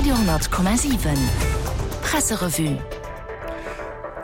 Radio,7 Presserevue.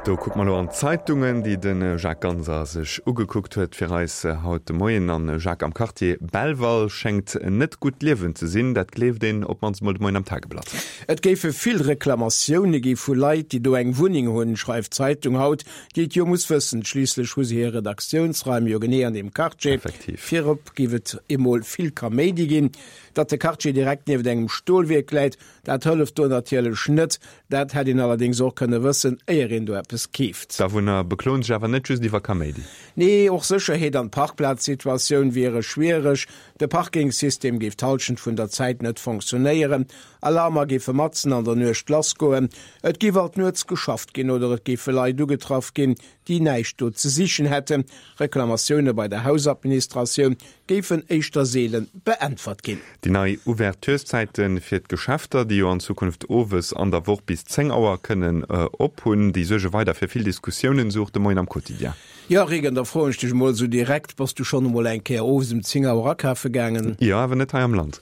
Do kucke mer elo an d'Zeitungen, déi de Jacques Ganser sech ugekuckt huet fir eis haut de Moien. An Jacques, am Quartier Belval schéngt net gutt Liewen ze sinn. Dat gleeft een op d'mannst emol de Moien am Tageblatt. Et géife vill Reklamatioune gi vu Leit, déi do eng Wunneng hunn, schreift d'Zeitung haut, déi et jo muss wëssen. Schliisslech hu se hir Redaktiounsraim jo genee an deem Quartier. Effektiv. Virop géif et emol vill Kaméidi ginn. Datt de Quartier direkt nieft engem Stolwierk läit, Dat hëlleft do natierlech net. Dat hätt een allerdéngs och kënne wëssen, éier een do eppes keeft. D'Awunner bekloen sech awer net just iwwer Kaméidi. Nee, och Sécherheet an d'Parkplazsituatioun wiere schwiereg. De Parkingsystem géif d'Hallschent vun der Zäit net fonctionnéieren. Alarmer géife matzen an der Nuecht lassgoen. Et géif alt nuets geschafft ginn oder et géife Leit ugetraff ginn, déi näischt do ze sichen hätten. Reklamatioune bei der Hausadministratioun géifen éischter seele beäntwert ginn. Déi nei Ouvertureszäite fir d'Geschäfter, déi jo an Zukunft owes an der Woch bis 10 Auer kënnen op hunn, déi suerge weider fir vill Diskussiounen, sou och de Moien am Quotidien. Jo, Regan, da froen ech dech emol esou direkt, Bass du schonn emol eng Kéier owes um 10 Auer akafe gaangen? Jo, awer net hei am Land.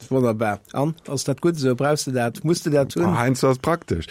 Wonnerbar. An, ass dat gutt esou? Brauchs de dat? Muss de dat hunn? Heiansdo ass et praktesch.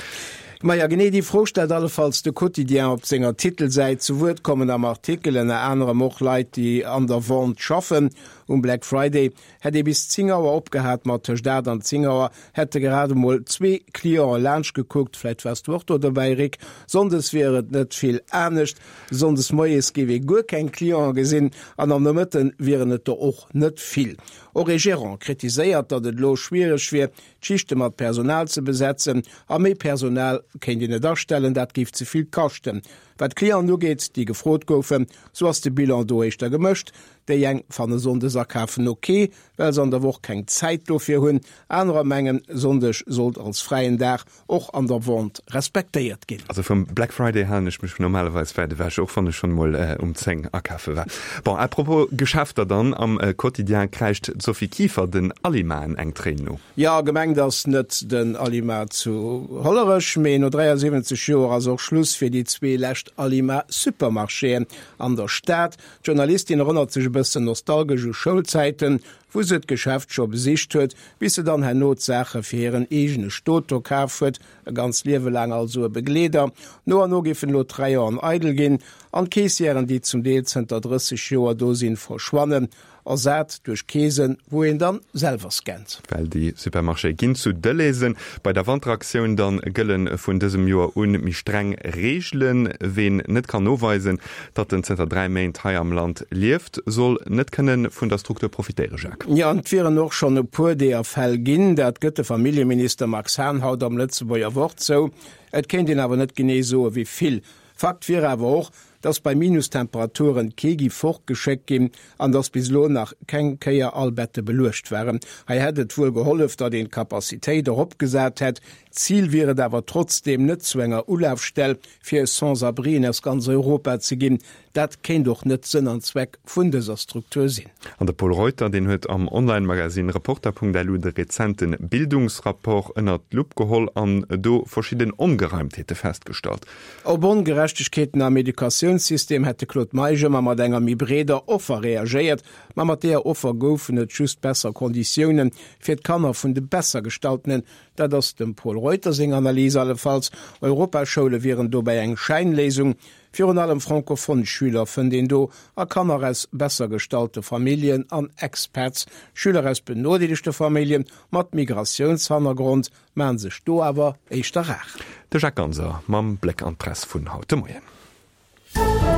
Maja, genee déi Fro stellt allefalls de Quotidien op senger Titelsäit. Zu Wuert kommen am Artikel ënner anerem och Leit, déi an der Vente schaffen. Um Black Friday hätt ee bis 10 Auer opgehat, ma tëscht 8 an 10 Auer hätte grad emol zwee Cliente laanscht gekuckt. Vläicht waars du och do dobäi, Rick. Sonndes wier et net vill anescht. Sonndes moies géif ee guer keng Cliente gesinn an am Nomëtte wieren et der och net vill. Och ee Gerant kritiséiert, datt et elo schwiereg wier, d'Schichte mat Personal ze besetzen. A méi Personal kéint een net astellen, dat géif ze vill kaschten. Wat d'Clienten ugeet, déi gefrot goufen, sou ass de Bilan do éischter gemëscht. Déi eng fanne Sonndes akafen ok, well se an der Woch keng Zäit dofir hunn. Anerer mengen, Sonndeg sollt als fräien Dag och an der Vente respektéiert ginn. Also vum Black Friday halen ech mech normalerweis wäit ewech, och wann ech schonn emol um 10 akafe war. Bon, à propos Geschäfter dann, am Quotidien kräischt d'Sophie Kieffer den Alimaen eng Tréin no. Jo, gemengt ass net den Alima zu Hollerech, mee no 73 Joer ass och Schluss fir déi zwee lescht Alima-Supermarchéen an der Stad. D'Journalistin erënnert sech e bëssen nostalgesch u Schoulzäiten, wou se d'Geschäft scho besicht huet, bis se dann herno d'Saache fir hiren eegene Stot do kaf huet, e ganzt Liewe laang also e Begleeder. No an no géifen elo d'Rayonen eidel ginn an d'Caissièren, déi zum Deel zënter 30 Joer do sinn, verschwannen, ersat duerch Keesen, wou een dann selwer scannt. Well déi Supermarchéë ginn zu Delhaizen. Bei der Wanteraktioun dann gëlle vun dësem Joer un méi streng Reegelen. Ween net kann noweisen, datt en zënter 3 Méint hei am Land lieft, soll net kënne vun der Struktur profitéieren, Jacques. Jo, an et wieren och schonn e puer deeër Fäll ginn. Dat gëtt de Familljeminister Max Hahn haut am Lëtzebuerger Wort zou. Et kéint een awer net genee soe wéi vill. Fakt wier awer och, dass bei Minustemperaturen kee gi fortgeschéckt ginn an dass bis elo nach keng Kéier all Bette beluecht waren. Hei hätt et wuel gehollef, datt een d'Capacitéit eropgesat hätt. Zil wier et awer trotzdeem net zu enger Ulafstell fir Sans-abrien aus ganz Europa ze ginn. Dat kéint och net Sënn an Zweck vun dëser Struktur sinn. An de Pol Reuter, deen huet am Online-Magazine Reporter.lu de rezente Bildungsrapport ënnert d'Lupp geholl an do verschidden Ongereimtheete festgestallt. Op Ongerechtegkeeten am Educatiounssystem hätt de Claude Meisch ëmmer mat enger méi breeder Offer reagéiert. Ma mat deeër Offer goufen et just besser Konditioune fir d'Kanner vun de Bessergestaltenen. Dat ass dem Pol Reuter seng Analys allefalls. Europaschoule wieren dobäi eng Schäinléisung. Virun allem francophone Schüler fënnt een do a Kanner aus besser gestallte Familljen an Expats. Schüler aus benodeelegte Famillje mat Migratiounshannergrond Maan sech do awer éischter rar. De Jacques Ganser mam Bléck an d'Press vun haut de Moien.